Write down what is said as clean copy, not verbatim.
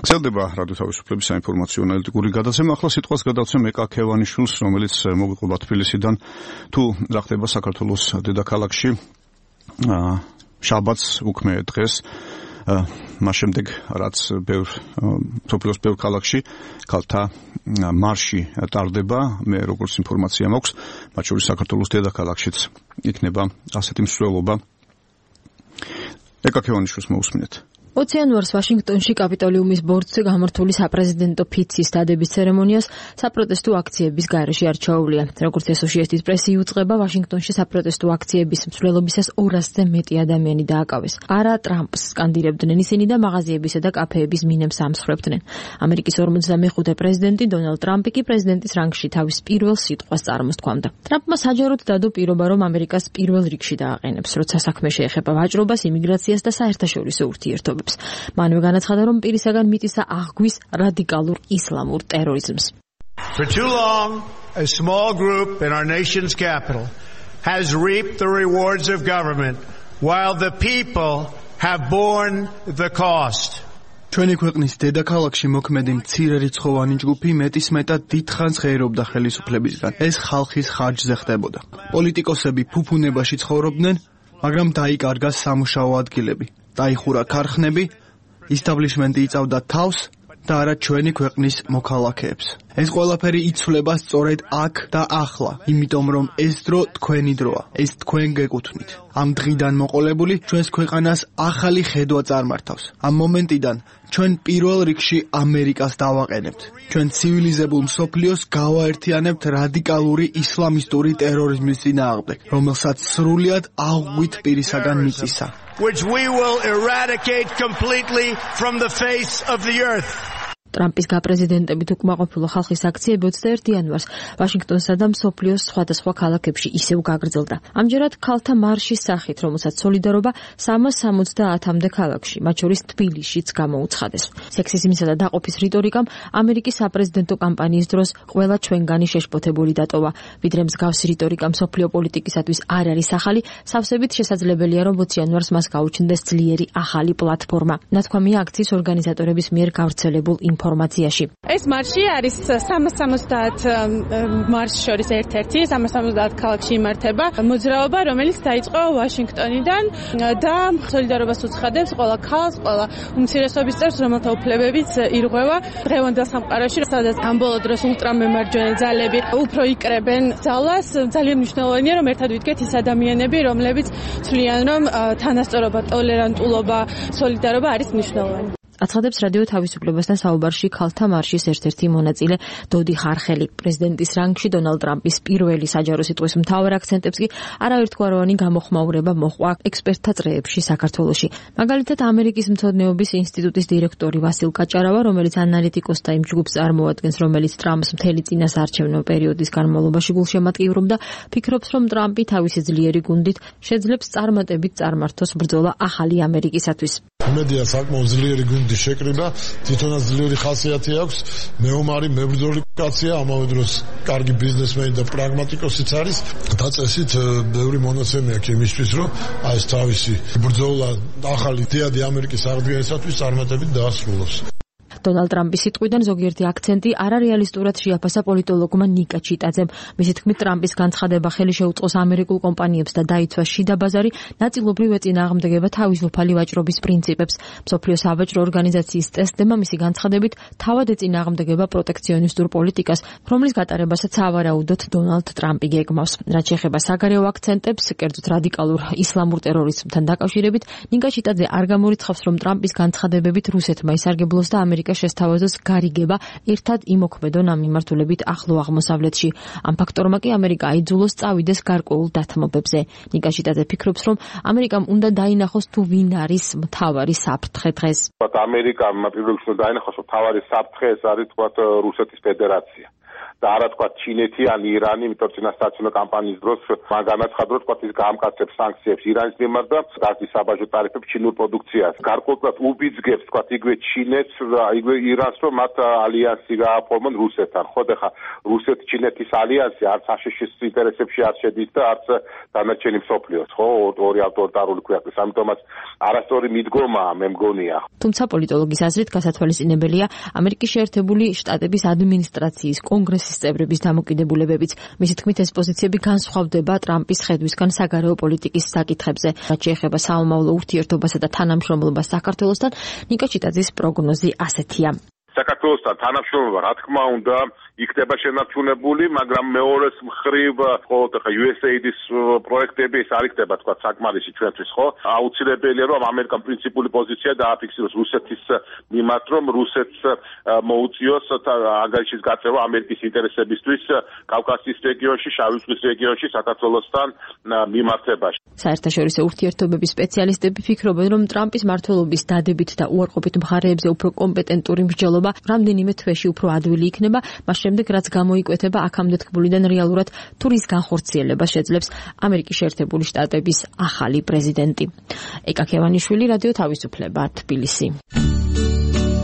გრძელდება რადიო თავისუფლების საინფორმაციო ანალიტიკური გადაცემა. ახლა სიტყვას გადავცემ ეკა ქევანიშვილს, რომელიც მოგიყვება თბილისიდან. თუ რა ხდება საქართველოს დედაქალაქში შაბათს უქმე დღეს, მას შემდეგ რაც სოფლიოს ბევრ ქალაქში ქალთა მარში ტარდება, მე როგორც ინფორმაცია მაქვს, მათ შორის საქართველოს დედაქალაქშიც იქნება ასეთი მსვლელობა. ეკა ქევანიშვილს მოусმინეთ. 20 იანვარს ვაშინგტონში კაპიტოლიუმის ბორცვზე გამართული საპრეზიდენტო ფიცის დადების ცერემონიას საპროტესტო აქციების გარეშე არ ჩაუვლია. როგორც ესოციეიტის პრესი იუწყება, ვაშინგტონში საპროტესტო აქციების მსვლელობისას 200-ზე მეტი ადამიანი დააკავეს. არა ტრამპს სკანდირებდნენ ისინი და მაღაზიებისა და კაფეების მინებს ამსხვრებდნენ. ამერიკის 55 პრეზიდენტი დონალდ ტრამპი კი პრეზიდენტის რანგში თავის პირველ სიტყვას წარმოსთქვამდა. ტრამპმა საჯაროდ დადო პირობა, რომ ამერიკას პირველ რიგში დააყენებს, როცა საქმე შეეხება ვაჭრობას, იმიგრაციას და საერთაშორისო ურთიერთობებს. მანვე განაცხადა, რომ პირისაგან მიწისა აღგვის რადიკალურ ისლამურ ტერორიზმს. For too long, a small group in our nation's capital has reaped the rewards of government while the people have borne the cost. ჩვენი ქვეყნის დედაქალაქში მოქმედი მცირე რიცხოვანი ჯგუფი მეტისმეტად დიდხანს ღერობდა ხელისუფლებისგან. ეს ხალხის ხარჯზე ხდებოდა. პოლიტიკოსები ფუფუნებაში ცხოვრობდნენ, მაგრამ დაიკარგა სამუშაო ადგილები. დაიხურა ქარხნები, ისტაბლიშმენტი იწავდა თავს და არა ჩვენი ქვეყნის მოქალაქეებს. ეს ყველაფერი იცვლება სწორედ აქ და ახლა, იმიტომ რომ ეს დრო თქვენი დროა, ეს თქვენ გეკუთვნით. ამ დღიდან მოყოლებული ჩვენს ქვეყანას ახალი ხედვა წარმართავს. ამ მომენტიდან ჩვენ პირველ რიგში ამერიკას დავაყენებთ. ჩვენ ცივილიზებულ მსოფლიოს გავაერთიანებთ რადიკალური ისლამისტური ტერორიზმის წინააღმდეგ, რომელსაც სრულად აღგვით პირისაგან მიწისა. Which we will eradicate completely from the face of the earth. ტრამპის გაპრეზიდენტებით უკმაყოფილო ხალხის აქციები 21 იანვარს ვაშინგტონსა და მსოფლიოს სხვადასხვა ქალაქებში ისევ გაგრძელდა. ამჯერად ქალთა მარშის სახით, რომელსაც სოლიდარობა 370-მდე ქალაქში, მათ შორის თბილისშიც გამოუცხადეს. სექსიზმისა და დაყოფის რიტორიკამ ამერიკის საპრეზიდენტო კამპანიის დროს ყველა ჩვენგანი შეშფოთებული დატოვა. ვიდრე მსგავსი რიტორიკა მსოფლიო პოლიტიკისათვის არ არის ახალი, სავსებით შესაძლებელია, რომ 20 იანვარს მას გაუჩნდეს ძლიერი ახალი პლატფორმა. ნათქვამია აქციის ორგანიზატორების მიერ გავრცელებულ ინფორმაციაში. ეს მარში არის 370 მარშს შორის ერთ-ერთი 370 ქალაქში იმართება მოძრაობა, რომელიც დაიწყო ვაშინგტონიდან და სოლიდარობას უცხადებს ყველა ქალს, ყველა უმცირესობის წევრს, რომელთა უფლებებიც ირღვევა დღევანდელ სამყაროში, სადაც ამ ბოლო დროს ულტრამემარჯვენე ძალები უფრო იკრებენ ძალას. ძალიან მნიშვნელოვანია, რომ ერთად ვიდგეთ ის ადამიანები, რომლებიც ცვლიან, რომ თანასწორობა, ტოლერანტულობა, სოლიდარობა არის მნიშვნელოვანი. აცხადებს რადიო თავისუფლებასთან საუბარში ქალთა მარშის ერთ-ერთი მონაწილე დოდი ხარხელი. პრეზიდენტის რანგში დონალდ ტრამპის პირველი საჯარო სიტყვის მთავარ აქცენტებს კი არავითგვაროვანი გამოხმაურება მოჰყვა ექსპერტთა წრეებში საქართველოში. მაგალითად, ამერიკის მცოდნეობის ინსტიტუტის დირექტორი ვასილ კაჭარავა, რომელიც ანალიტიკოსთა იმ ჯგუფს წარმოადგენს, რომელიც ტრამპს მთელი წინასაარჩევნო პერიოდის განმავლობაში გულშემატკივრობდა, ფიქრობს, რომ ტრამპი თავისი ძლიერი გუნდით შეძლებს წარმატებით წარმართოს ბრძოლა ახალი ამერიკისათვის. მედია საკმაოდ ძლიერი გუნდი შეკრიბა, თვითონაც ძლიერი ხასიათი აქვს, მეომარი, მებრძოლი კაცია, ამავე დროს კარგი ბიზნესმენი და პრაგმატიკოსიც არის. დაწესით ბევრი მონაცემი აქვს იმისთვის, რომ აი ეს თავისი ბრძოლა ახალი დიადი ამერიკის აღდგენისათვის წარმატებით დაასრულოს. დონალდ ტრამპის სიტყვიდან ზოგიერთი აქცენტი არარეალისტურად შეაფასა პოლიტოლოგმა ნიკა ჩიტაძემ. მისი თქმით, ტრამპის განცხადება ხელი შეუწყოს ამერიკულ კომპანიებს და დაიცვა შიდა ბაზარი, ნაწილობრივ ეწინააღმდეგება თავისუფალი ვაჭრობის პრინციპებს. მსოფლიო სავაჭრო ორგანიზაციის წესდება მისი განცხადებით თავად ეწინააღმდეგება პროტექციონისტურ პოლიტიკას, რომლის გატარებასაც სავარაუდოდ დონალდ ტრამპი გეგმავს. რაც შეეხება საგარეო აქცენტებს, კერძოდ რადიკალურ ისლამურ ტერორიზმთან დაკავშირებით, ნიკა ჩიტაძე არ გამორიცხავს, რომ ტრამპის განცხადებებით რუსეთმა ისარგებლოს და ამერიკა შესთავაზოს გარიგება ერთად იმოქმედონ ამ მიმართულებით ახლო აღმოსავლეთში. ამ ფაქტორმა კი ამერიკა აიძულოს წავიდეს გარკვეულ დათმობებზე. ნიკა ჩიტაძე ფიქრობს, რომ ამერიკამ უნდა დაინახოს თუ ვინ არის მთავარი საფრთხე დღეს. ამერიკამ პირველ რიგში დაინახოს, რომ მთავარი საფრთხე ეს არის რუსეთის ფედერაცია. და არა თქვა ჩინეთი ან ირანი, იმიტომ წინასაარჩევნო კამპანიის დროს მან განაცხადა, თქვა ის გაამკაცებს სანქციებს ირანის მიმართ და გაზის საბაჟო ტარიფებს ჩინურ პროდუქციას. გარკვეულად უბიძგებს თქვა იგივე ჩინეთს და იგივე ირანს, რომ მათ ალიანსი გააფორმონ რუსეთთან. ხო, და ხა რუსეთ-ჩინეთის ალიანსი არც აშშ-ის ინტერესებში არ შედის და არც დანარჩენი მსოფლიოს, ხო, ორი ავტორიტარული ქვეყნის. ამიტომაც არასწორი მიდგომაა, მე მგონია. თუმცა პოლიტოლოგის აზრით გასათვალისწინებელია ამერიკის შეერთებული შტატების ადმინისტრაციის კონგრესის წევრების დამოკიდებულებებიც. მისი თქმით, ეს პოზიციები განსხვავდება ტრამპის ხედვისგან საგარეო პოლიტიკის საკითხებზე. რაც შეეხება საომავლო ურთიერთობასა და თანამშრომლობას საქართველოსთან, ნიკა ჩიტაძის პროგნოზი ასეთია. საქართველოსთან თანამშრომლობა, რა თქმა უნდა, იქნება შენარჩუნებული, მაგრამ მეორეს მხრივ, ხო, ხა USAID-ის პროექტები ეს არ იქნება, თქვა, საკმარისი ჩვენთვის, ხო? აუცილებელია, რომ ამერიკამ პრინციპული პოზიცია დააფიქსიროს რუსეთის მიმართ, რომ რუსეთს მოუწიოს ანგარიშის გაწევა ამერიკის ინტერესებისთვის კავკასიის რეგიონში, შავი ზღვის რეგიონში, საქართველოსთან მიმართებაში. საერთაშორისო ურთიერთობების სპეციალისტები ფიქრობენ, რომ ტრამპის მმართველობის დადებით და უარყოფით მხარეებზე უფრო კომპეტენტური მსჯელობა რამდენიმე თვეში უფრო ადვილი იქნება, მას შემდეგ რაც გამოიკვეთება აქამდე თქმულიდან რეალურად თუ რის განხორციელებას შეძლებს ამერიკის შეერთებული შტატების ახალი პრეზიდენტი. ეკა ქევანიშვილი, რადიო თავისუფლება, თბილისი.